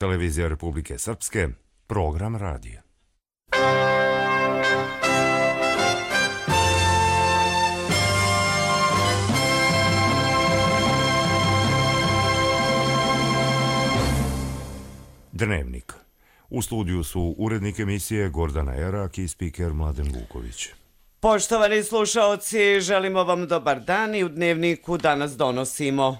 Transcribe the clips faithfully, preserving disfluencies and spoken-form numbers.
Televizija Republike Srpske, program radija. Dnevnik. U studiju su urednik emisije Gordana Erak i spiker Mladen Vuković. Poštovani slušaoci, želimo vam dobar dan i u Dnevniku danas donosimo.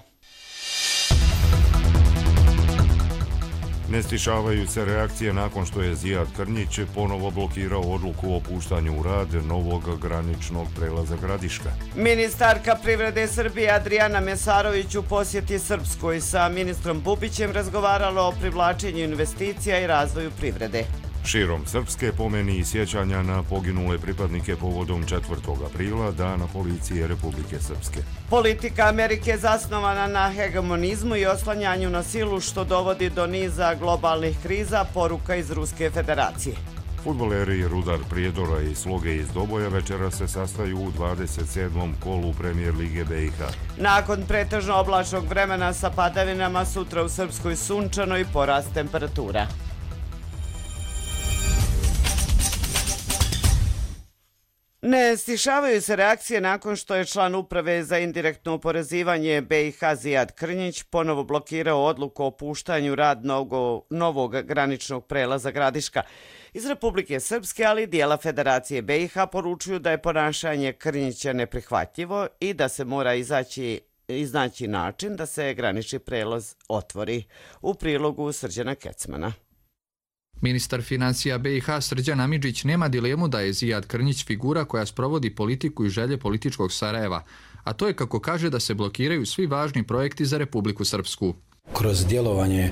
Ne stišavaju se reakcije nakon što je Zijad Krnjić ponovo blokirao odluku o puštanju u rad novog graničnog prelaza Gradiška. Ministarka privrede Srbije Adrijana Mesarović u posjeti Srpskoj sa ministrom Bubićem razgovarala o privlačenju investicija i razvoju privrede. Širom Srpske pomeni i sjećanja na poginule pripadnike povodom četvrtog aprila, Dana policije Republike Srpske. Politika Amerike zasnovana na hegemonizmu i oslanjanju na silu što dovodi do niza globalnih kriza, poruka iz Ruske federacije. Fudbaleri Rudar Prijedora i Sloge iz Doboja večera se sastaju u dvadeset sedmom kolu Premijer Lige B i H. Nakon pretežno oblačnog vremena sa padavinama, sutra u Srpskoj sunčano i porast temperatura. Ne stišavaju se reakcije nakon što je član uprave za indirektno oporezivanje B i H Zijad Krnjić ponovo blokirao odluku o puštanju rad novog, novog graničnog prelaza Gradiška. Iz Republike Srpske, ali i dijela Federacije B i H poručuju da je ponašanje Krnjića neprihvatljivo i da se mora izaći, iznaći način da se granični prelaz otvori. U prilogu Srđana Kecmana. Ministar financija B i H Srđan Amidžić nema dilemu da je Zijad Krnjić figura koja sprovodi politiku i želje političkog Sarajeva, a to je kako kaže da se blokiraju svi važni projekti za Republiku Srpsku. Kroz djelovanje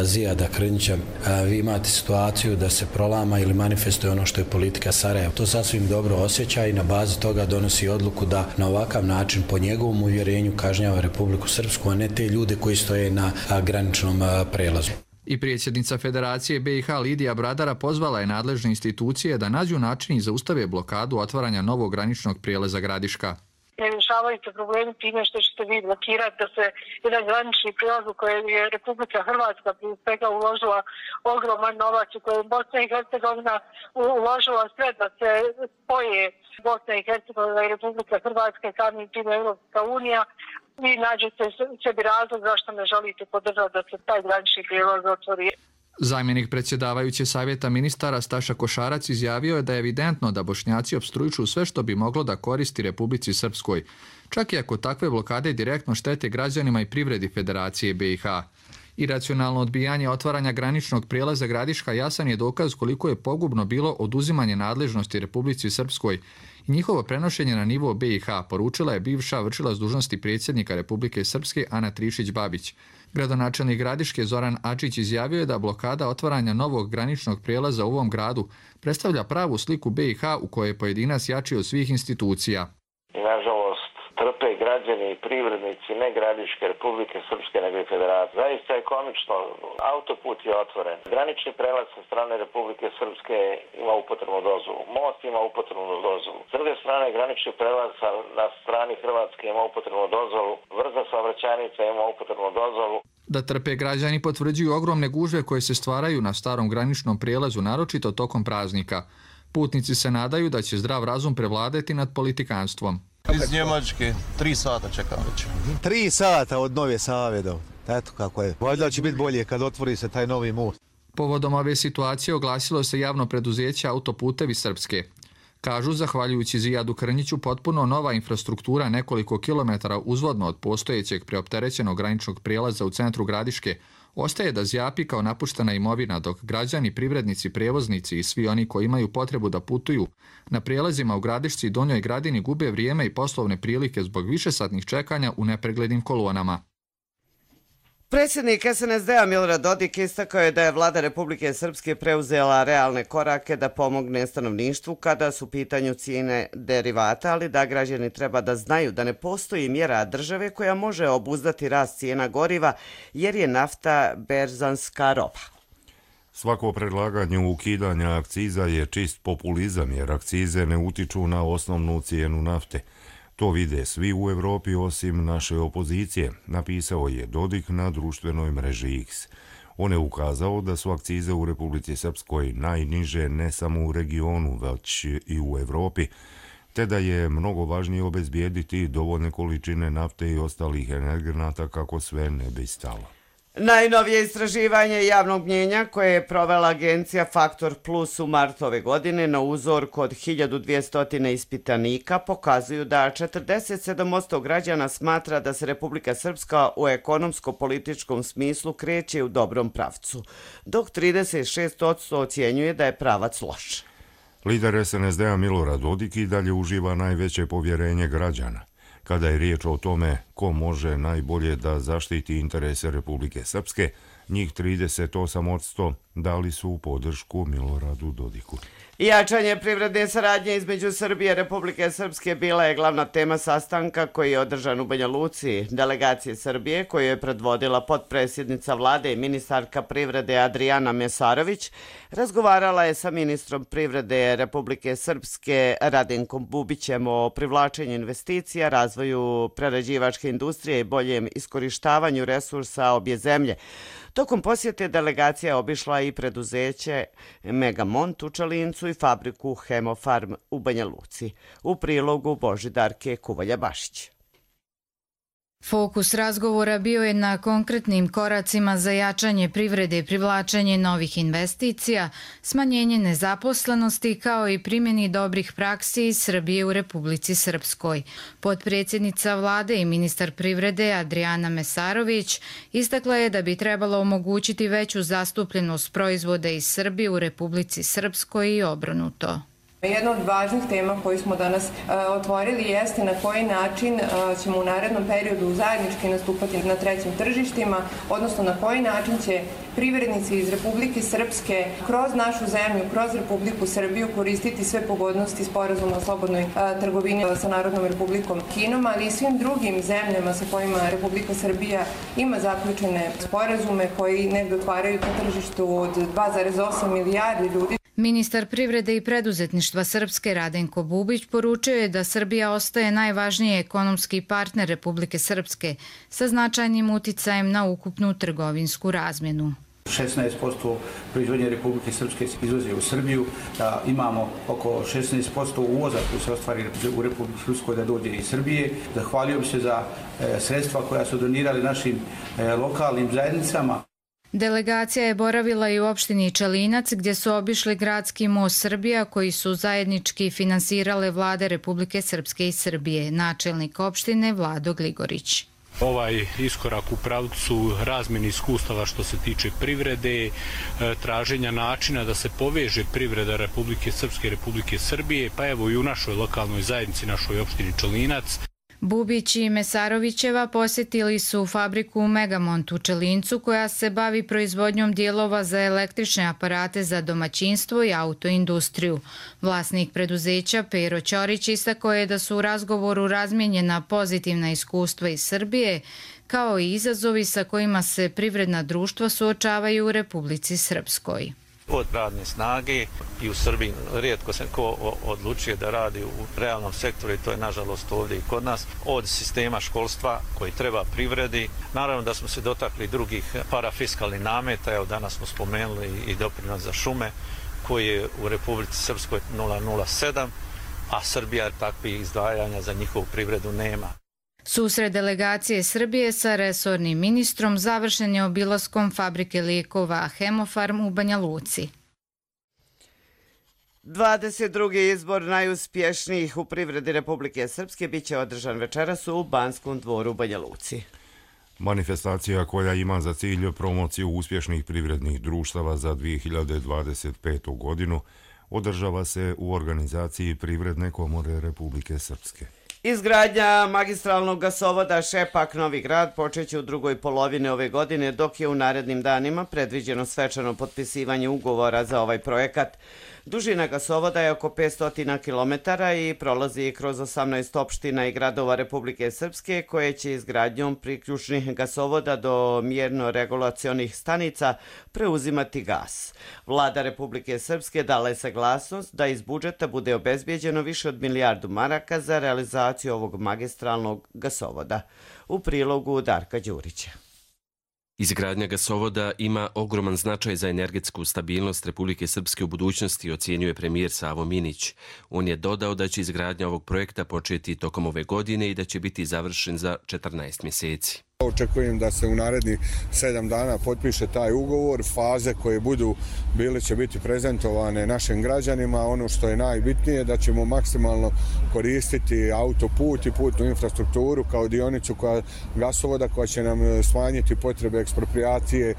Zijada Krnjića vi imate situaciju da se prolama ili manifestuje ono što je politika Sarajeva. To sasvim dobro osjeća i na bazi toga donosi odluku da na ovakav način po njegovom uvjerenju kažnjava Republiku Srpsku, a ne te ljude koji stoje na graničnom prelazu. I predsjednica Federacije B i H Lidija Bradara pozvala je nadležne institucije da nađu način i zaustave blokadu otvaranja novog graničnog prijelaza Gradiška. Ne rješavaju se problemi time što ćete vi blokirati da se jedan granični prijelaz u kojem je Republika Hrvatska prije svega uložila ogroman novac, u kojem Bosna i Hercegovina uložila sve da se spoje Bosna i Hercegovina i Republika Hrvatska i samim tim Europska unija. Vi nađete sebi razlog zašto ne želite podržati da se taj granični prijelaz otvori. Zamjenik predsjedavajuće savjeta ministara Staša Košarac izjavio je da je evidentno da Bošnjaci opstruiču sve što bi moglo da koristi Republici Srpskoj, čak i ako takve blokade direktno štete građanima i privredi Federacije B i H. Iracionalno odbijanje otvaranja graničnog prijelaza Gradiška jasan je dokaz koliko je pogubno bilo oduzimanje nadležnosti Republici Srpskoj i njihovo prenošenje na nivo B i H, poručila je bivša vršilac dužnosti predsjednika Republike Srpske Ana Trišić-Babić. Gradonačelnik Gradiške Zoran Ačić izjavio je da blokada otvaranja novog graničnog prijelaza u ovom gradu predstavlja pravu sliku B i H u kojoj je pojedinac jači od svih institucija. Nažalost, trpe građani i privrednici ne Gradiške, Republike Srpske, nego i Federacije. Zaista je komično. Autoput je otvoren. Granični prelaz sa strane Republike Srpske ima upotrebnu dozvolu. Most ima upotrebnu dozvolu. S druge strane, granični prelaz na strani Hrvatske ima upotrebnu dozvolu. Brza saobraćajnica ima upotrebnu dozvolu. Da trpe građani potvrđuju ogromne gužve koje se stvaraju na starom graničnom prijelazu, naročito tokom praznika. Putnici se nadaju da će zdrav razum prevladati nad politikanstvom. Iz Njemačke, tri sata čekam već. Tri sata od Nove Save do. Eto kako je. Valjda će biti bolje kad otvori se taj novi most. Povodom ove situacije oglasilo se javno preduzeće Autoputevi Srpske. Kažu, zahvaljujući Zijadu Krnjiću, potpuno nova infrastruktura nekoliko kilometara uzvodno od postojećeg preopterećenog graničnog prijelaza u centru Gradiške ostaje da zjapi kao napuštena imovina, dok građani, privrednici, prijevoznici i svi oni koji imaju potrebu da putuju na prijelazima u Gradišci i Donjoj Gradini gube vrijeme i poslovne prilike zbog višesatnih čekanja u nepreglednim kolonama. Predsjednik S N S D-a Milorad Dodik istakao je da je vlada Republike Srpske preuzela realne korake da pomogne stanovništvu kada su u pitanju cijene derivata, ali da građani treba da znaju da ne postoji mjera države koja može obuzdati rast cijena goriva jer je nafta berzanska roba. Svako predlaganje ukidanja akciza je čist populizam jer akcize ne utiču na osnovnu cijenu nafte. To vide svi u Evropi osim naše opozicije, napisao je Dodik na društvenoj mreži X. On je ukazao da su akcize u Republici Srpskoj najniže ne samo u regionu, već i u Evropi, te da je mnogo važnije obezbijediti dovoljne količine nafte i ostalih energenata kako sve ne bi stalo. Najnovije istraživanje javnog mnjenja koje je provela agencija Faktor Plus u martu ove godine na uzorku od hiljadu dvjesto ispitanika pokazuju da četrdeset sedam posto građana smatra da se Republika Srpska u ekonomsko-političkom smislu kreće u dobrom pravcu, dok trideset šest posto ocjenjuje da je pravac loš. Lider es en es de-a Milorad Dodik i dalje uživa najveće povjerenje građana. Kada je riječ o tome ko može najbolje da zaštiti interese Republike Srpske, njih trideset osam posto dali su podršku Miloradu Dodiku. Jačanje privredne saradnje između Srbije i Republike Srpske bila je glavna tema sastanka koji je održan u Banja Luci. Delegacije Srbije, koju je predvodila potpredsjednica vlade i ministarka privrede Adrijana Mesarović, razgovarala je sa ministrom privrede Republike Srpske Radenkom Bubićem o privlačenju investicija, razvoju prerađivačke industrije i boljem iskorištavanju resursa obje zemlje. Tokom posjete delegacija obišla i preduzeće Megamont u Čalincu i fabriku Hemofarm u Banja Luci. U prilogu Božidarke Kuvalja-Bašić. Fokus razgovora bio je na konkretnim koracima za jačanje privrede i privlačenje novih investicija, smanjenje nezaposlenosti kao i primjeni dobrih praksi iz Srbije u Republici Srpskoj. Potpredsjednica vlade i ministar privrede Adrijana Mesarović istakla je da bi trebalo omogućiti veću zastupljenost proizvoda iz Srbije u Republici Srpskoj i obrnuto. Jedna od važnih tema koju smo danas uh, otvorili jeste na koji način uh, ćemo u narednom periodu zajednički nastupati na trećim tržištima, odnosno na koji način će privrednici iz Republike Srpske kroz našu zemlju, kroz Republiku Srbiju koristiti sve pogodnosti sporazuma o slobodnoj uh, trgovini sa Narodnom Republikom Kinom, ali i svim drugim zemljama sa kojima Republika Srbija ima zaključene sporazume koji negdje otvaraju na tržištu od dva zarez osam milijardi ljudi. Ministar privrede i preduzetništva Srpske Radenko Bubić poručio je da Srbija ostaje najvažniji ekonomski partner Republike Srpske sa značajnim uticajem na ukupnu trgovinsku razmjenu. šesnaest posto proizvodnje Republike Srpske izvozi u Srbiju, da imamo oko šesnaest posto uvoza koji se ostvari u Republike Srpskoj da dođe iz Srbije. Zahvaljujem se za e, sredstva koja su donirali našim e, lokalnim zajednicama. Delegacija je boravila i u opštini Čalinac gdje su obišli gradski most Srbija koji su zajednički finansirale vlade Republike Srpske i Srbije, načelnik opštine Vlado Gligorić. Ovaj iskorak u pravcu razmjene iskustava što se tiče privrede, traženja načina da se poveže privreda Republike Srpske i Republike Srbije, pa evo i u našoj lokalnoj zajednici, našoj opštini Čalinac. Bubić i Mesarovićeva posjetili su fabriku Megamont u Čalincu koja se bavi proizvodnjom dijelova za električne aparate za domaćinstvo i autoindustriju. Vlasnik preduzeća Pero Ćorić istakao je da su u razgovoru razmijenjena pozitivna iskustva iz Srbije kao i izazovi sa kojima se privredna društva suočavaju u Republici Srpskoj. Od radne snage i u Srbiji rijetko se ko odlučuje da radi u realnom sektoru i to je nažalost ovdje i kod nas. Od sistema školstva koji treba privredi, naravno da smo se dotakli drugih parafiskalnih nameta, evo danas smo spomenuli i doprinos za šume koji je u Republici Srpskoj nula zarez sedam, a Srbija takvih izdvajanja za njihovu privredu nema. Susret delegacije Srbije sa resornim ministrom završen je obilaskom fabrike lijekova Hemofarm u Banja Luci. dvadeset drugi izbor najuspješnijih u privredi Republike Srpske biće održan večeras u Banskom dvoru u Banja Luci. Manifestacija koja ima za cilj promociju uspješnih privrednih društava za dvije hiljade dvadeset petu. godinu održava se u organizaciji Privredne komore Republike Srpske. Izgradnja magistralnog gasovoda Šepak-Novi Grad počeće u drugoj polovini ove godine, dok je u narednim danima predviđeno svečano potpisivanje ugovora za ovaj projekat. Dužina gasovoda je oko petsto kilometara i prolazi kroz osamnaest opština i gradova Republike Srpske koje će izgradnjom priključnih gasovoda do mjerno-regulacionih stanica preuzimati gas. Vlada Republike Srpske dala je saglasnost da iz budžeta bude obezbijeđeno više od milijardu maraka za realizaciju ovog magistralnog gasovoda. U prilogu Darka Đurića. Izgradnja gasovoda ima ogroman značaj za energetsku stabilnost Republike Srpske u budućnosti, ocjenjuje premijer Savo Minić. On je dodao da će izgradnja ovog projekta početi tokom ove godine i da će biti završen za četrnaest mjeseci. Očekujem da se u narednih sedam dana potpiše taj ugovor. Faze koje budu bile će biti prezentovane našim građanima. Ono što je najbitnije da ćemo maksimalno koristiti autoput i putnu infrastrukturu kao dionicu koja, gasovoda koja će nam smanjiti potrebe eksproprijacije,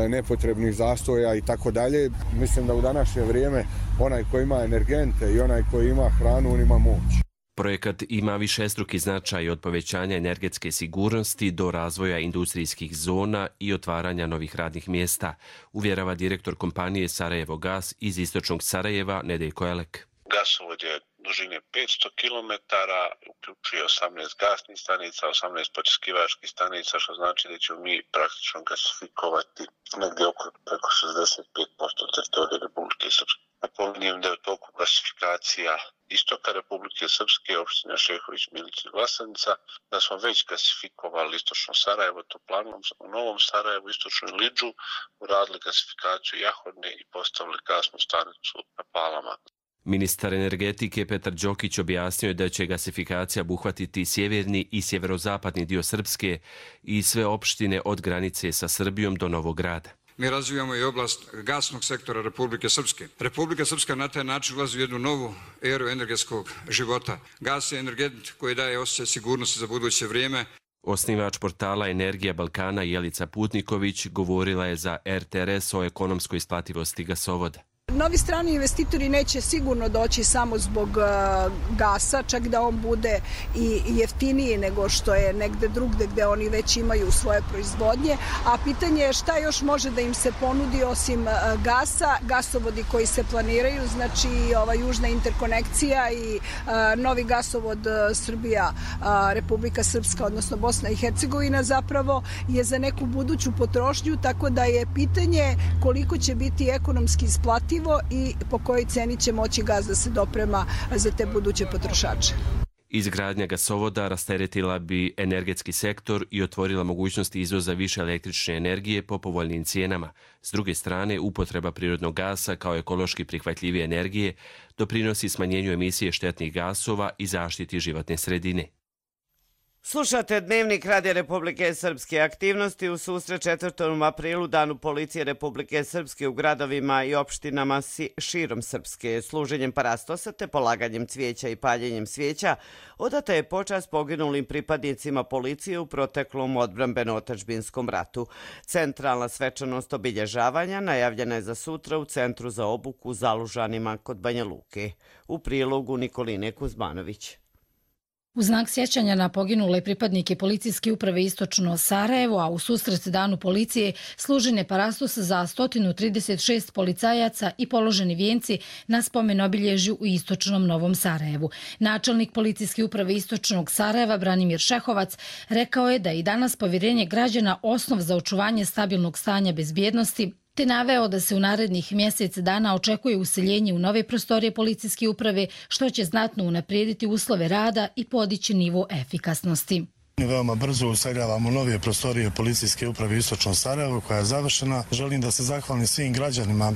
nepotrebnih zastoja i tako dalje. Mislim da u današnje vrijeme onaj koji ima energente i onaj koji ima hranu, on ima moć. Projekat ima višestruki značaj od povećanja energetske sigurnosti do razvoja industrijskih zona i otvaranja novih radnih mjesta, uvjerava direktor kompanije Sarajevo Gas iz istočnog Sarajeva Nedeljko Elek. Gasovod je dužine petsto kilometara, uključuje osamnaest gasnih stanica, osamnaest počiskivačkih stanica, što znači da ćemo mi praktično gasifikovati negdje oko preko šezdeset pet posto teritorija Republike Srpske. Napominjem da je u toku gasifikacija istoka Republike Srpske, opština Šehović, Milić i Vlasanica, da smo već gasifikovali istočno Sarajevo, Toplanom, u Novom Sarajevu, istočnu Lidžu, uradili gasifikaciju Jahodne i postavili gasnu stanicu na Palama. Ministar energetike Petar Đokić objasnio je da će gasifikacija obuhvatiti sjeverni i sjeverozapadni dio Srpske i sve opštine od granice sa Srbijom do Novog Grada. Mi razvijamo i oblast gasnog sektora Republike Srpske. Republika Srpska na taj način ulazi u jednu novu eru energetskog života. Gas je energent koji daje osjećaj sigurnosti za buduće vrijeme. Osnivač portala Energija Balkana Jelica Putniković govorila je za R T R S o ekonomskoj isplativosti gasovoda. Novi strani investitori neće sigurno doći samo zbog gasa, čak da on bude i jeftiniji nego što je negde drugde gde oni već imaju svoje proizvodnje, a pitanje je šta još može da im se ponudi osim gasa, gasovodi koji se planiraju, znači ova južna interkonekcija i novi gasovod Srbija, Republika Srpska, odnosno Bosna i Hercegovina zapravo je za neku buduću potrošnju, tako da je pitanje koliko će biti ekonomski isplativo i po kojoj ceni će moći gas da se doprema za te buduće potrošače. Izgradnja gasovoda rasteretila bi energetski sektor i otvorila mogućnosti izvoza više električne energije po povoljnim cijenama. S druge strane, upotreba prirodnog gasa kao ekološki prihvatljivije energije doprinosi smanjenju emisije štetnih gasova i zaštiti životne sredine. Slušate Dnevnik Radija Republike Srpske. Aktivnosti u susret četvrtom aprilu, Danu policije Republike Srpske u gradovima i opštinama širom Srpske. Služenjem parastosa te polaganjem cvijeća i paljenjem svijeća odata je počast poginulim pripadnicima policije u proteklom odbrambeno-otadžbinskom ratu. Centralna svečanost obilježavanja najavljena je za sutra u Centru za obuku u Zalužanima kod Banja Luke. U prilogu Nikoline Kuzmanović. U znak sjećanja na poginule pripadnike policijske uprave Istočno Sarajevo, a u susret Danu policije služen je parastos za sto trideset šest policajaca i položeni vijenci na spomen obilježju u Istočnom Novom Sarajevu. Načelnik policijske uprave Istočnog Sarajeva Branimir Šehovac rekao je da je i danas povjerenje građana osnov za očuvanje stabilnog stanja bezbjednosti, te naveo da se u narednih mjesec dana očekuje useljenje u nove prostorije policijske uprave, što će znatno unaprijediti uslove rada i podići nivo efikasnosti. Veoma brzo useljavamo nove prostorije policijske uprave Istočno Sarajevo koja je završena. Želim da se zahvalim svim građanima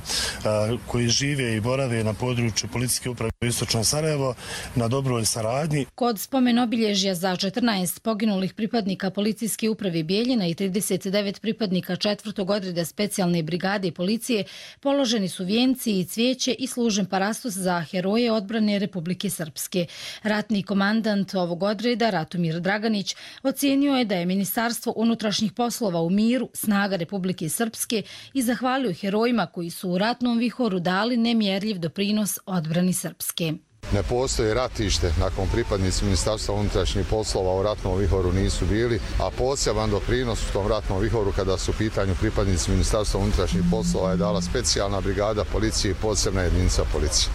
koji žive i borave na području policijske uprave Istočno Sarajevo na dobroj saradnji. Kod spomen obilježja za četrnaest poginulih pripadnika policijske uprave Bijeljina i trideset devet pripadnika četvrtog odreda specijalne brigade policije položeni su vijenci i cvijeće i služen parastos za heroje odbrane Republike Srpske. Ratni komandant ovog odreda Ratomir Draganić ocijenio je da je Ministarstvo unutrašnjih poslova u miru snaga Republike Srpske i zahvalio herojima koji su u ratnom vihoru dali nemjerljiv doprinos odbrani Srpske. Ne postoji ratište nakon pripadnici Ministarstva unutrašnjih poslova u ratnom vihoru nisu bili, a poseban doprinos u tom ratnom vihoru kada su u pitanju pripadnici Ministarstva unutrašnjih poslova je dala specijalna brigada policije i posebna jedinica policije.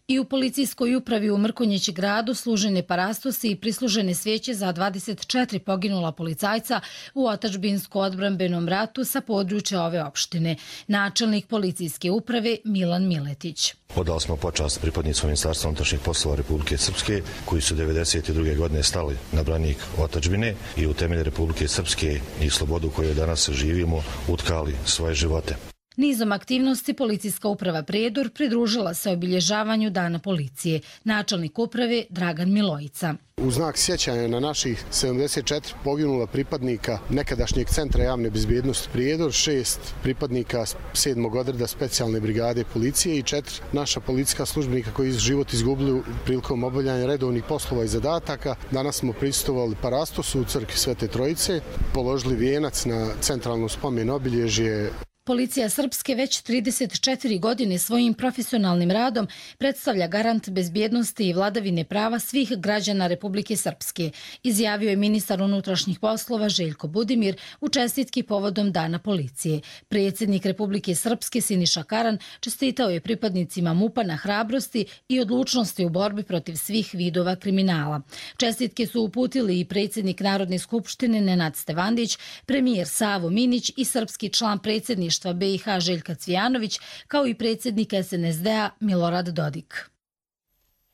I u policijskoj upravi u Mrkonjić gradu služene parastosi i prislužene sveće za dvadeset četiri poginula policajca u otadžbinsko-odbrambenom ratu sa područja ove opštine. Načelnik policijske uprave Milan Miletić. Odali smo počast pripadnicima Ministarstva unutrašnjih poslova Republike Srpske koji su devedeset druge godine stali na branik otadžbine i u temelje Republike Srpske i slobodu koju danas živimo utkali svoje živote. Nizom aktivnosti policijska uprava Prijedor pridružila se obilježavanju Dana policije. Načelnik uprave Dragan Milojica. U znak sjećanja na naših sedamdeset četiri poginula pripadnika nekadašnjeg centra javne bezbjednosti Prijedor, šest pripadnika sedmog odreda specijalne brigade policije i četiri naša policijska službenika koji su život izgubili prilikom obavljanja redovnih poslova i zadataka. Danas smo prisustvovali parastosu u crkvi Svete Trojice, položili vijenac na centralno spomen obilježje. Policija Srpske već trideset četiri godine svojim profesionalnim radom predstavlja garant bezbjednosti i vladavine prava svih građana Republike Srpske, izjavio je ministar unutrašnjih poslova Željko Budimir u čestitki povodom Dana policije. Predsjednik Republike Srpske Siniša Karan čestitao je pripadnicima MUP-a na hrabrosti i odlučnosti u borbi protiv svih vidova kriminala. Čestitke su uputili i predsjednik Narodne skupštine Nenad Stevandić, premijer Savo Minić i srpski član predsjedništva B i H Željka Cvijanović, kao i predsjednik S N S D-a Milorad Dodik.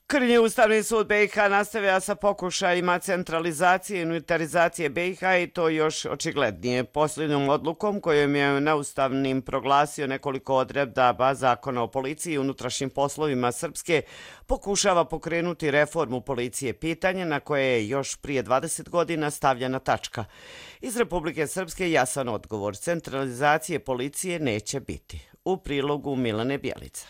Krnji Ustavni sud B i H nastavlja sa pokušajima centralizacije i unitarizacije B i H i to još očiglednije. Posljednjom odlukom kojom je neustavnim proglasio nekoliko odredaba Zakona o policiji i unutrašnjim poslovima Srpske, pokušava pokrenuti reformu policije, pitanje na koje je još prije dvadeset godina stavljena tačka. Iz Republike Srpske jasan odgovor: centralizacije policije neće biti. U prilogu Milane Bjelica.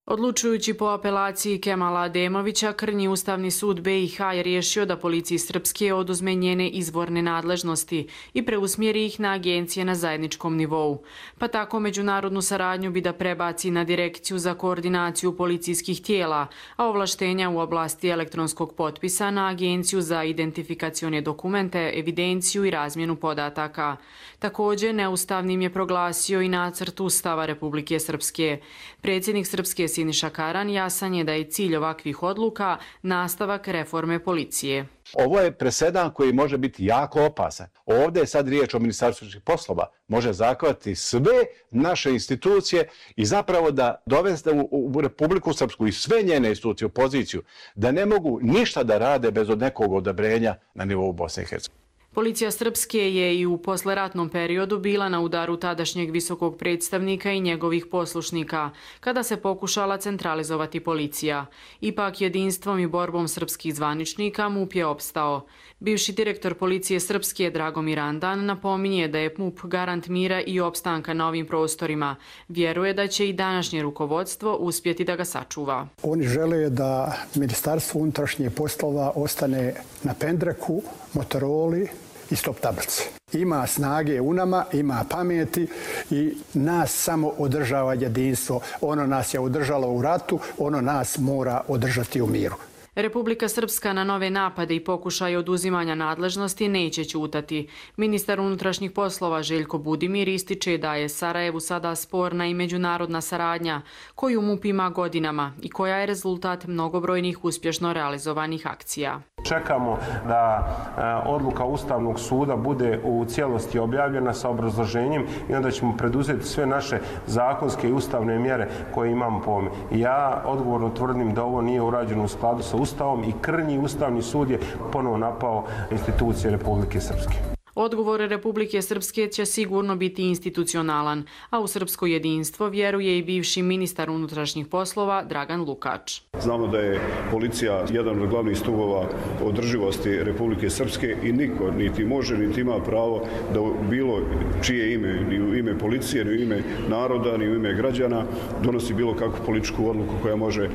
Odlučujući po apelaciji Kemala Ademovića, Krnji Ustavni sud B i H je riješio da policiji Srpske oduzme njene izvorne nadležnosti i preusmjeri ih na agencije na zajedničkom nivou. Pa tako međunarodnu saradnju bi da prebaci na Direkciju za koordinaciju policijskih tijela, a ovlaštenja u oblasti elektronskog potpisa na Agenciju za identifikacione dokumente, evidenciju i razmjenu podataka. Također, neustavnim je proglasio i nacrt Ustava Republike Srpske. Predsjednik Srpske Siniša Karan jasan je da je cilj ovakvih odluka nastavak reforme policije. Ovo je presedan koji može biti jako opasan. Ovdje je sad riječ o Ministarstvu unutrašnjih poslova. Može zakovati sve naše institucije i zapravo da dovesti u Republiku Srpsku i sve njene institucije u poziciju da ne mogu ništa da rade bez od nekog odobrenja na nivou Bosne i Hercegovine. Policija Srpske je i u posleratnom periodu bila na udaru tadašnjeg visokog predstavnika i njegovih poslušnika, kada se pokušala centralizovati policija. Ipak jedinstvom i borbom srpskih zvaničnika MUP je opstao. Bivši direktor policije Srpske Dragomir Andan napominje da je MUP garant mira i opstanka na ovim prostorima. Vjeruje da će i današnje rukovodstvo uspjeti da ga sačuva. Oni žele da Ministarstvo unutrašnjih poslova ostane na pendreku, Motoroli i stop tablici. Ima snage u nama, ima pameti i nas samo održava jedinstvo. Ono nas je održalo u ratu, ono nas mora održati u miru. Republika Srpska na nove napade i pokušaje oduzimanja nadležnosti neće ćutati. Ministar unutrašnjih poslova Željko Budimir ističe da je Sarajevu sada sporna i međunarodna saradnja, koju MUP ima godinama i koja je rezultat mnogobrojnih uspješno realizovanih akcija. Čekamo da odluka Ustavnog suda bude u cijelosti objavljena sa obrazloženjem i onda ćemo preduzeti sve naše zakonske i ustavne mjere koje imamo po ovome. Ja odgovorno tvrdim da ovo nije urađeno u skladu sa Ustavom i Krnji Ustavni sud je ponovo napao institucije Republike Srpske. Odgovor Republike Srpske će sigurno biti institucionalan, a u srpsko jedinstvo vjeruje i bivši ministar unutrašnjih poslova Dragan Lukač. Znamo da je policija jedan od glavnih stubova održivosti Republike Srpske i niko niti može niti ima pravo da bilo čije ime, ni u ime policije, ni u ime naroda, ni u ime građana donosi bilo kakvu političku odluku koja može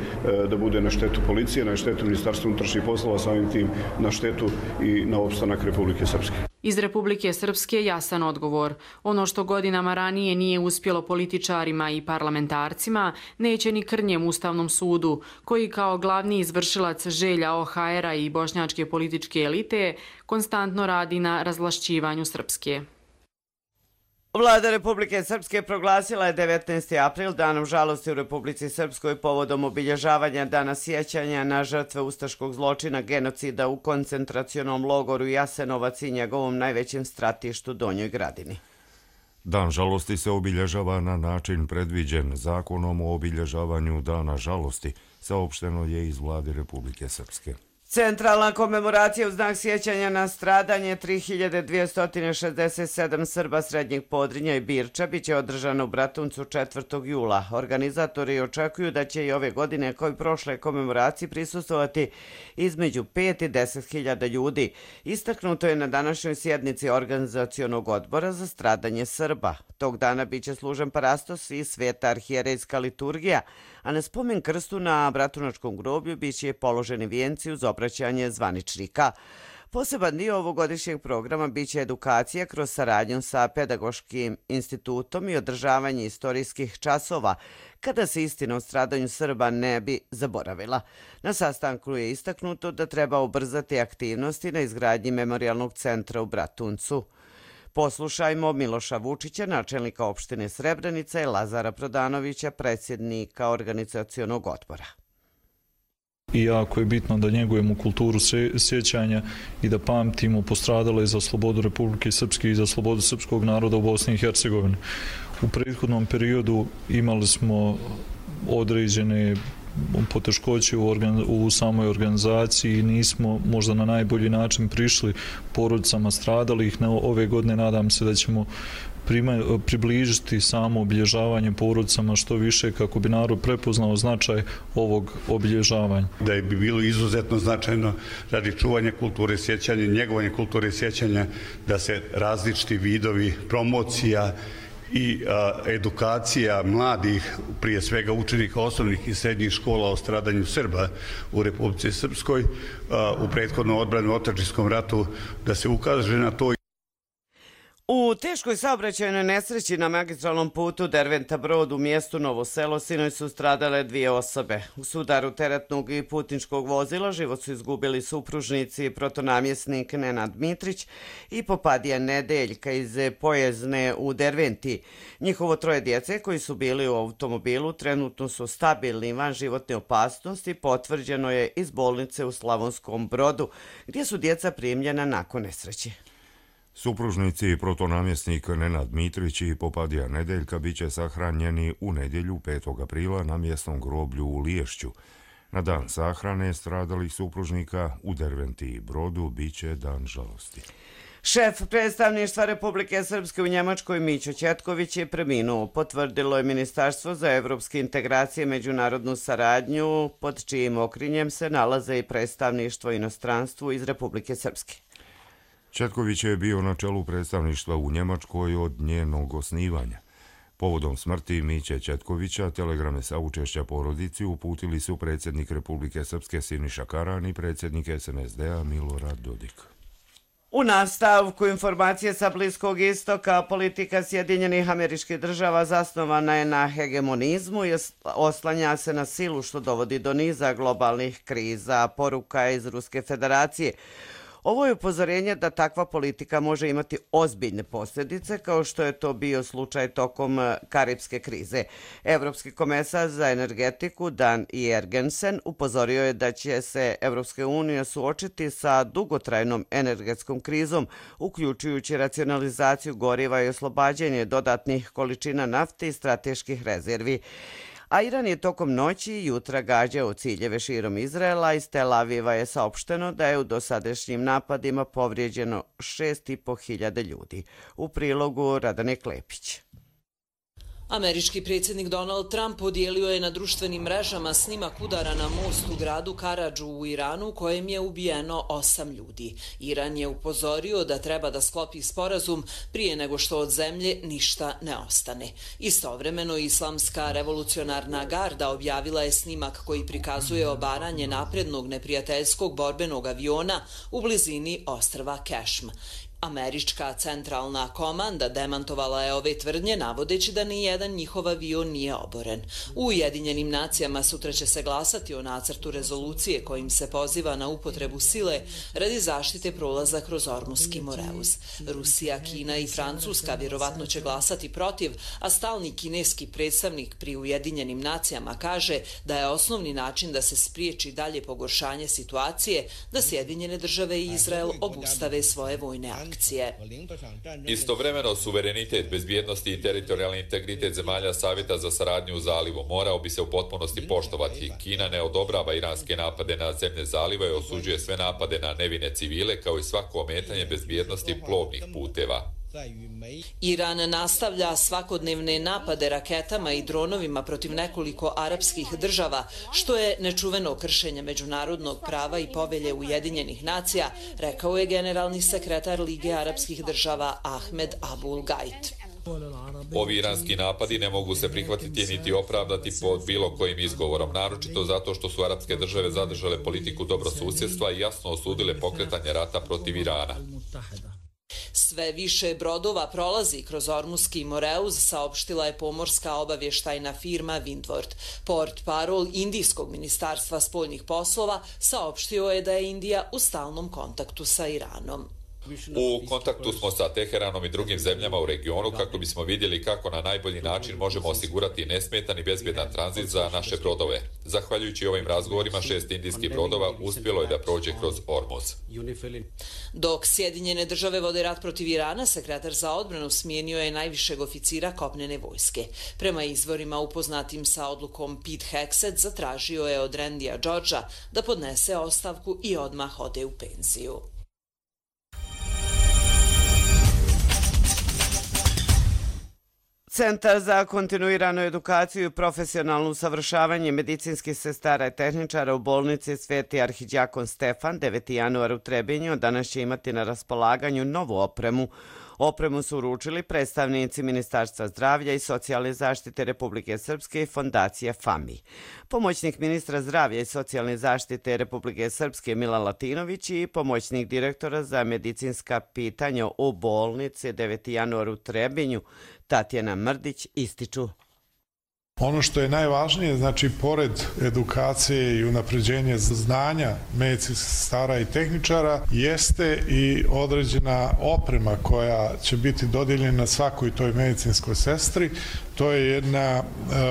da bude na štetu policije, na štetu Ministarstva unutrašnjih poslova, samim tim na štetu i na opstanak Republike Srpske. Iz Republike Srpske jasan odgovor. Ono što godinama ranije nije uspjelo političarima i parlamentarcima, neće ni Krnjem Ustavnom sudu, koji kao glavni izvršilac želja O H R-a i bošnjačke političke elite konstantno radi na razvlašćivanju Srpske. Vlada Republike Srpske proglasila je devetnaesti april danom žalosti u Republici Srpskoj povodom obilježavanja dana sjećanja na žrtve ustaškog zločina genocida u koncentracionom logoru Jasenovac i njegovom najvećem stratištu Donjoj Gradini. Dan žalosti se obilježava na način predviđen Zakonom o obilježavanju dana žalosti, saopšteno je iz Vlade Republike Srpske. Centralna komemoracija u znak sjećanja na stradanje tri hiljade dvjesto šezdeset sedam Srba Srednjeg Podrinja i Birča biće održana u Bratuncu četvrtog jula. Organizatori očekuju da će i ove godine kao i prošle komemoraciji prisustvovati između pet i deset hiljada ljudi. Istaknuto je na današnjoj sjednici organizacionog odbora za stradanje Srba. Tog dana biće služen parastos i sveta arhijerejska liturgija, a na spomen krstu na Bratunačkom groblju biće položeni vijenci uz obraćanje zvaničnika. Poseban dio ovogodišnjeg programa biće edukacija kroz saradnju sa Pedagoškim institutom i održavanje istorijskih časova, kada se istina o stradanju Srba ne bi zaboravila. Na sastanku je istaknuto da treba ubrzati aktivnosti na izgradnji memorijalnog centra u Bratuncu. Poslušajmo Miloša Vučića, načelnika opštine Srebrenica, i Lazara Prodanovića, predsjednika organizacionog odbora. I jako je bitno da njegujemo kulturu sjećanja i da pamtimo postradale za slobodu Republike Srpske i za slobodu srpskog naroda u Bosni i Hercegovini. U prethodnom periodu imali smo određene poteškoće u, organ, u samoj organizaciji i nismo možda na najbolji način prišli porodicama stradalih. Na ove godine nadam se da ćemo prima, približiti samo obilježavanje porodicama što više kako bi narod prepoznao značaj ovog obilježavanja. Da je bi bilo izuzetno značajno radi čuvanja kulture sjećanja, njegovanja kulture sjećanja, da se različiti vidovi promocija i a, edukacija mladih, prije svega učenika osnovnih i srednjih škola o stradanju Srba u Republici Srpskoj a, u prethodnom odbranu otadžbinskom ratu, da se ukaže na to. U teškoj saobraćajnoj nesreći na magistralnom putu Derventa-Brod u mjestu Novo Selo sinoć su stradale dvije osobe. U sudaru teretnog i putničkog vozila život su izgubili supružnici protonamjesnik Nenad Mitrić i Popadija Nedeljka iz Pojezne u Derventi. Njihovo troje djece koji su bili u automobilu trenutno su stabilni van životne opasnosti, potvrđeno je iz bolnice u Slavonskom Brodu, gdje su djeca primljena nakon nesreće. Supružnici protonamjesnik Nenad Mitrić i Popadija Nedeljka biće sahranjeni u nedjelju petog aprila na mjesnom groblju u Liješću. Na dan sahrane stradalih supružnika u Derventi i Brodu biće dan žalosti. Šef predstavništva Republike Srpske u Njemačkoj Mićo Ćetković je preminuo, potvrdilo je Ministarstvo za evropske integracije i međunarodnu saradnju, pod čijim okrinjem se nalaze i predstavništvo inostranstvu iz Republike Srpske. Ćetković je bio na čelu predstavništva u Njemačkoj od njenog osnivanja. Povodom smrti Miće Ćetkovića telegrame saučešća porodici uputili su predsjednik Republike Srpske Siniša Karan i predsjednik es en es de-a Milorad Dodik. U nastavku informacije sa Bliskog istoka, politika Sjedinjenih Američkih Država zasnovana je na hegemonizmu i oslanja se na silu što dovodi do niza globalnih kriza, poruka iz Ruske federacije. Ovo je upozorenje da takva politika može imati ozbiljne posljedice, kao što je to bio slučaj tokom karipske krize. Evropski komesar za energetiku Dan Jergensen upozorio je da će se Evropska unija suočiti sa dugotrajnom energetskom krizom, uključujući racionalizaciju goriva i oslobađanje dodatnih količina nafte i strateških rezervi. A Iran je tokom noći i jutra gađao ciljeve širom Izraela. Iz Tel Aviva je saopšteno da je u dosadašnjim napadima povrijeđeno šest i po hiljada ljudi. U prilogu Radane Klepić. Američki predsjednik Donald Trump podijelio je na društvenim mrežama snimak udara na most u gradu Karadžu u Iranu, kojem je ubijeno osam ljudi. Iran je upozorio da treba da sklopi sporazum prije nego što od zemlje ništa ne ostane. Istovremeno, Islamska revolucionarna garda objavila je snimak koji prikazuje obaranje naprednog neprijateljskog borbenog aviona u blizini ostrva Kešm. Američka centralna komanda demantovala je ove tvrdnje navodeći da ni jedan njihov avion nije oboren. U Ujedinjenim nacijama sutra će se glasati o nacrtu rezolucije kojim se poziva na upotrebu sile radi zaštite prolaza kroz Ormuski Moreus. Rusija, Kina i Francuska vjerovatno će glasati protiv, a stalni kineski predstavnik pri Ujedinjenim nacijama kaže da je osnovni način da se spriječi dalje pogoršanje situacije da Sjedinjene države i Izrael obustave svoje vojne akcije. Istovremeno, suverenitet, bezbjednosti i teritorijalni integritet zemalja Savjeta za saradnju u zalivu morao bi se u potpunosti poštovati. Kina ne odobrava iranske napade na zemlje zaliva i osuđuje sve napade na nevine civile kao i svako ometanje bezbjednosti plovnih puteva. Iran nastavlja svakodnevne napade raketama i dronovima protiv nekoliko arapskih država, što je nečuveno kršenje međunarodnog prava i povelje Ujedinjenih nacija, rekao je generalni sekretar Lige arapskih država Ahmed Abul Gait. Ovi iranski napadi ne mogu se prihvatiti niti opravdati pod bilo kojim izgovorom, naročito zato što su arapske države zadržale politiku dobrosusjedstva i jasno osudile pokretanje rata protiv Irana. Sve više brodova prolazi kroz Ormuski Moreus, saopštila je pomorska obavještajna firma Windward. Port parol Indijskog ministarstva spoljnih poslova saopštio je da je Indija u stalnom kontaktu sa Iranom. U kontaktu smo sa Teheranom i drugim zemljama u regionu kako bismo vidjeli kako na najbolji način možemo osigurati nesmetan i bezbjedan tranzit za naše brodove. Zahvaljujući ovim razgovorima, šest indijskih brodova uspjelo je da prođe kroz Ormuz. Dok Sjedinjene države vode rat protiv Irana, sekretar za odbranu smijenio je najvišeg oficira kopnene vojske. Prema izvorima upoznatim sa odlukom, Pete Hegseth zatražio je od Randya Georgea da podnese ostavku i odmah ode u penziju. Centar za kontinuiranu edukaciju i profesionalno usavršavanje medicinskih sestara i tehničara u bolnici Sveti arhidjakon Stefan deveti januar u Trebinju danas će imati na raspolaganju novu opremu. Opremu su uručili predstavnici Ministarstva zdravlja i socijalne zaštite Republike Srpske i fondacije FAMI. Pomoćnik ministra zdravlja i socijalne zaštite Republike Srpske Milan Latinović i pomoćnik direktora za medicinska pitanja u bolnici deveti januar u Trebinju Tatjana Mrdić ističu. Ono što je najvažnije, znači, pored edukacije i unapređenja znanja medicinskih sestara i tehničara, jeste i određena oprema koja će biti dodijeljena svakoj toj medicinskoj sestri. To je jedna e,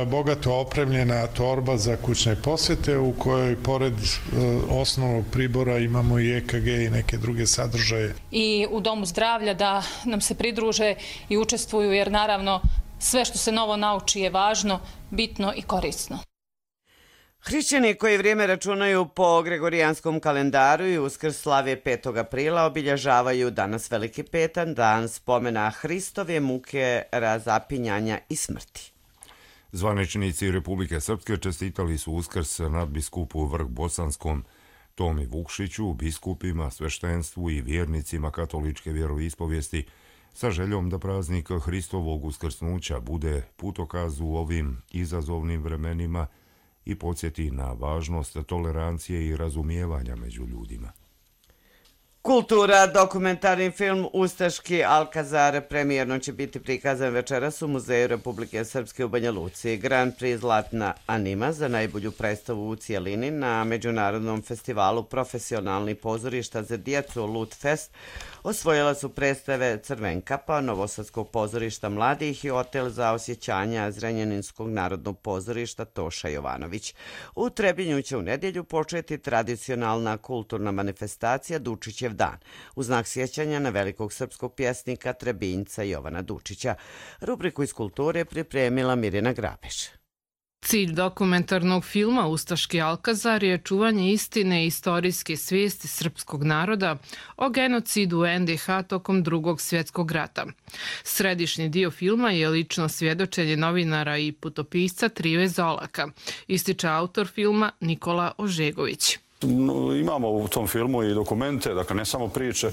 bogato opremljena torba za kućne posjete u kojoj pored e, osnovnog pribora imamo i E K G i neke druge sadržaje. I u Domu zdravlja da nam se pridruže i učestvuju, jer naravno sve što se novo nauči je važno, bitno i korisno. Hrišćani koji vrijeme računaju po gregorijanskom kalendaru i Uskrs slave petog aprila obilježavaju danas Veliki petak, dan spomena Hristove muke, razapinjanja i smrti. Zvaničnici Republike Srpske čestitali su Uskrs nadbiskupu Vrh-Bosanskom Tomi Vukšiću, biskupima, sveštenstvu i vjernicima katoličke vjeroispovijesti sa željom da praznik Hristovog uskrsnuća bude putokaz u ovim izazovnim vremenima i podsjeti na važnost tolerancije i razumijevanja među ljudima. Kultura, dokumentarni film Ustaški Alkazar premijerno će biti prikazan večeras u Muzeju Republike Srpske u Banja Luci. Grand Prix Zlatna Anima za najbolju predstavu u cijelini na Međunarodnom festivalu profesionalnih pozorišta za djecu Lutfest osvojila su predstave Crvenkapa, Novosadskog pozorišta mladih i Hotel za osjećanja Zrenjaninskog narodnog pozorišta Toša Jovanović. U Trebinju će u nedjelju početi tradicionalna kulturna manifestacija Dučićev dan, u znak sjećanja na velikog srpskog pjesnika Trebinjca Jovana Dučića. Rubriku iz kulture pripremila Mirjana Grabeš. Cilj dokumentarnog filma Ustaški Alkazar je čuvanje istine i istorijske svijesti srpskog naroda o genocidu u N D H tokom drugog svjetskog rata. Središnji dio filma je lično svjedočenje novinara i putopisca Trive Zolaka, ističe autor filma Nikola Ožegović. Imamo u tom filmu i dokumente, dakle ne samo priče,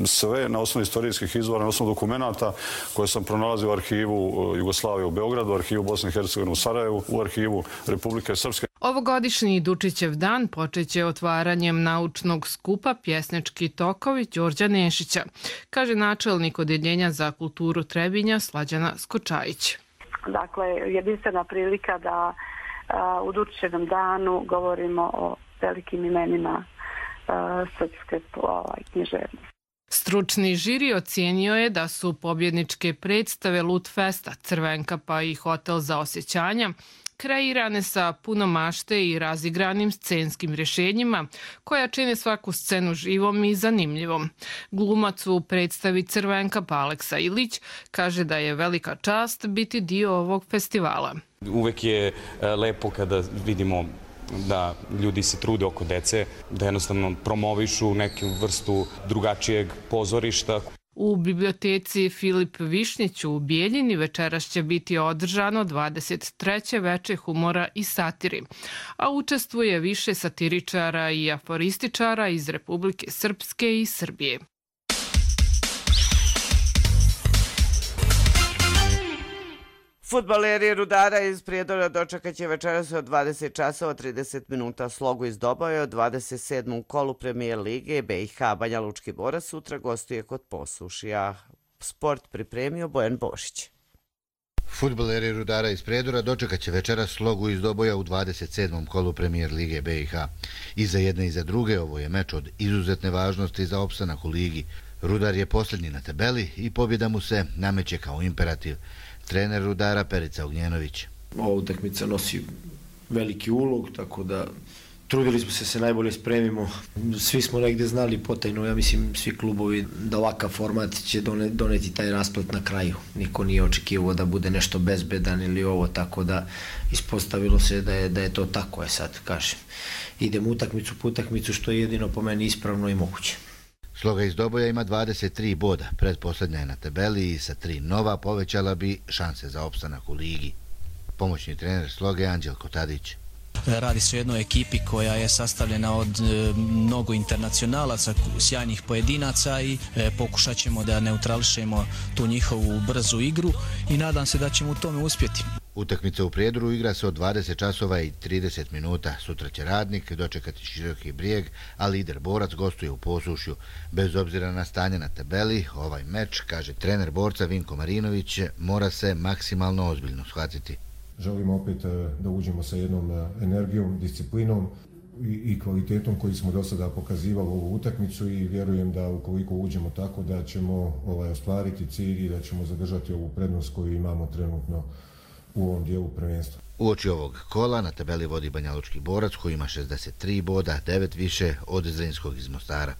sve na osnovu istorijskih izvora, na osnovu dokumenata koje sam pronalazio u arhivu Jugoslavije u Beogradu, u arhivu Bosne i Hercegovine u Sarajevu, u arhivu Republike Srpske. Ovogodišnji Dučićev dan počeće otvaranjem naučnog skupa Pjesnički tokovi Đorđa Nešića, kaže načelnik Odeljenja za kulturu Trebinja Slađana Skočajić. Dakle, jedinstvena prilika da a, u Dučićevom danu govorimo o velikim imenima a, srpske ovaj, književnosti. Stručni žiri ocijenio je da su pobjedničke predstave Lutfesta, Crvenka pa i Hotel za osjećanja kreirane sa puno mašte i razigranim scenskim rješenjima koja čine svaku scenu živom i zanimljivom. Glumac u predstavi Crvenka pa Aleksa Ilić kaže da je velika čast biti dio ovog festivala. Uvek je lepo kada vidimo da ljudi se trude oko dece, da jednostavno promovišu neku vrstu drugačijeg pozorišta. U biblioteci Filip Višnjić u Bijeljini večeras će biti održano dvadeset treće veče humora i satiri, a učestvuje više satiričara i aforističara iz Republike Srpske i Srbije. Fudbaleri Rudara iz Prijedora dočekat će večeras od dvadeset časova trideset minuta slogu iz Doboja od dvadeset sedmom kolu Premijer Lige B i H. Banja Lučki Borac sutra gostuje kod Posušja. Sport pripremio Bojan Bošić. Fudbaleri Rudara iz Prijedora dočekat će večeras slogu iz Doboja u dvadeset sedmom kolu Premijer Lige B i H. I za jedne i za druge ovo je meč od izuzetne važnosti za opstanak u ligi. Rudar je posljednji na tabeli i pobjeda mu se nameće kao imperativ. Trener Rudara Perica Ognjenović. Ova utakmica nosi veliki ulog, tako da trudili smo se se najbolje spremimo. Svi smo negdje znali potajno, ja mislim svi klubovi, da ovakav format će doneti taj rasplet na kraju. Niko nije očekivao da bude nešto bezbedan ili ovo, tako da ispostavilo se da je, da je to tako. Je sad, kažem, idemo utakmicu po utakmicu, što je jedino po meni ispravno i moguće. Sloga iz Doboja ima dvadeset tri boda, pretposlednja je na tabeli i sa tri nova povećala bi šanse za opstanak u ligi. Pomoćni trener Sloge Anđelko Tadić. Radi se o jednoj ekipi koja je sastavljena od e, mnogo internacionalaca, sjajnih pojedinaca i e, pokušat ćemo da neutrališemo tu njihovu brzu igru i nadam se da ćemo u tome uspjeti. Utakmica u Prijedoru igra se od dvadeset časova i trideset minuta. Sutra će Radnik dočekati Široki Brijeg, a lider Borac gostuje u Posušju. Bez obzira na stanje na tabeli, ovaj meč, kaže trener Borca Vinko Marinović, mora se maksimalno ozbiljno shvatiti. Želimo opet da uđemo sa jednom energijom, disciplinom i kvalitetom koji smo do sada pokazivali u ovu utakmicu i vjerujem da ukoliko uđemo tako da ćemo ovaj, ostvariti cilj i da ćemo zadržati ovu prednost koju imamo trenutno u ovom dijelu prvenstva. Uoči ovog kola na tabeli vodi Banja Lučki Borac koji ima šezdeset tri boda, devet više od Zrinskog iz Mostara.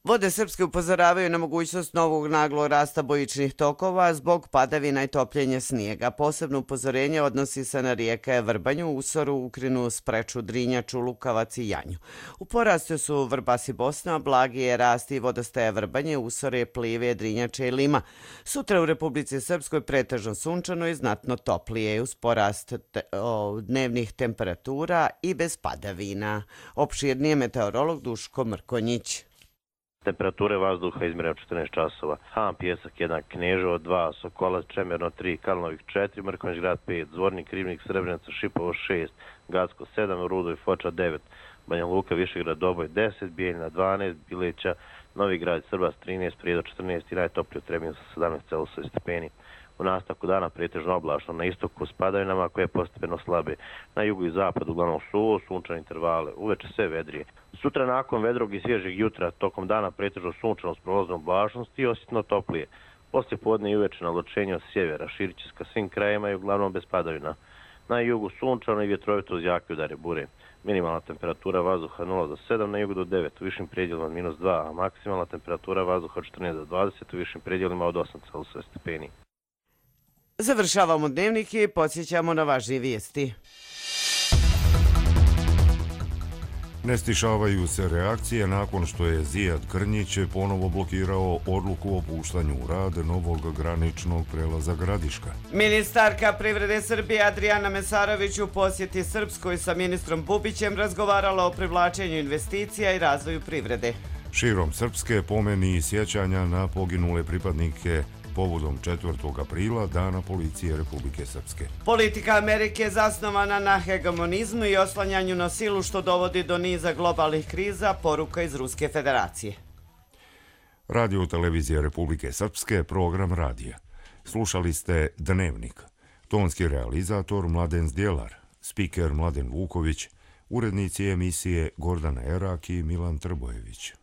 Vode Srpske upozoravaju na mogućnost novog naglog rasta bojičnih tokova zbog padavina i topljenja snijega. Posebno upozorenje odnosi se na rijeke Vrbanju, Usoru, Ukrinu, Spreču, Drinjaču, Lukavac i Janju. U porastu su Vrbas i Bosna, blagi je rast i vodostaje Vrbanje, Usore, Plive, Drinjače i Lima. Sutra u Republici Srpskoj pretežno sunčano i znatno toplije uz porast te, o, dnevnih temperatura i bez padavina. Opširnije meteorolog Duško Mrkonjić. Temperature vazduha izmjerene četrnaest časova. Han, Pjesak jedan, Kneževo dva, Sokolac, Čemerno tri, Kalnovik četiri, Mrkonjić grad pet, Zvornik, Ribnik, Srebrenica, Šipovo šest, Gacko sedam, Rudo i Foča devet, Banja Luka, Višegrad, Doboj deset, Bijeljina dvanaest, Bileća, Novi grad, Srbas trinaest, Prijedor četrnaest i najtoplije u Trebinju sa sedamnaest zarez osam stepeni. U nastavku dana pretežno oblačno, na istoku s padavinama koje postepeno slabe, na jugu i zapadu uglavnom suvo, sunčane intervale, uveče sve vedrije. Sutra nakon vedrog i svježeg jutra, tokom dana pretežno sunčano s prolaznom oblačnosti i osjetno toplije. Poslije podne i uveče naločenje od sjevera, širit će se ka svim krajima i uglavnom bez padavina. Na jugu sunčano i vjetrovito uz jake udare bure. Minimalna temperatura vazduha nula do sedam, na jugu do devet, u višim predjelima od minus dva, a maksimalna temperatura vazduha od četrnaest do dvadeset, u višim predjelima od osam zarez osam stepeni. Završavamo dnevnik i podsjećamo na važnije vijesti. Ne stišavaju se reakcije nakon što je Zijad Krnjić ponovo blokirao odluku o puštanju u rad novog graničnog prelaza Gradiška. Ministarka privrede Srbije Adrijana Mesarović u posjeti Srpskoj sa ministrom Bubićem razgovarala o privlačenju investicija i razvoju privrede. Širom Srpske pomeni i sjećanja na poginule pripadnike povodom četvrtog aprila, Dana policije Republike Srpske. Politika Amerike je zasnovana na hegemonizmu i oslanjanju na silu što dovodi do niza globalnih kriza, poruka iz Ruske federacije. Radio televizija Republike Srpske, program radija. Slušali ste Dnevnik. Tonski realizator Mladen Zdjelar, spiker Mladen Vuković, urednici emisije Gordana Erak i Milan Trbojević.